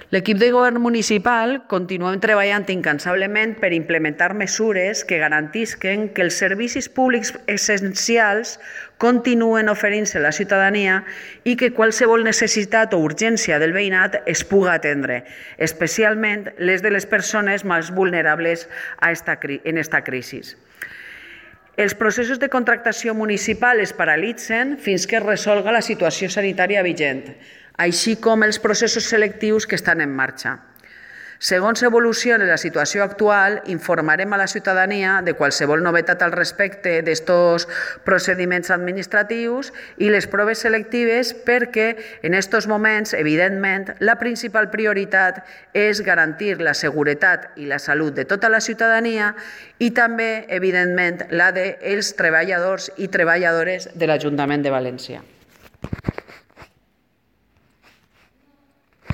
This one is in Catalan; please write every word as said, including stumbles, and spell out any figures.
L'equip de govern municipal continuem treballant incansablement per implementar mesures que garantisquen que els servicis públics essencials continuen oferint-se a la ciutadania i que qualsevol necessitat o urgència del veïnat es puga atendre, especialment les de les persones més vulnerables a esta, en aquesta crisi. Els processos de contractació municipal es paralitzen fins que es resolga la situació sanitària vigent, així com els processos selectius que estan en marxa. Segons evolucioni la situació actual, informarem a la ciutadania de qualsevol novetat al respecte d'estos procediments administratius i les proves selectives perquè en aquests moments, evidentment, la principal prioritat és garantir la seguretat i la salut de tota la ciutadania i també, evidentment, la dels treballadors i treballadores de l'Ajuntament de València.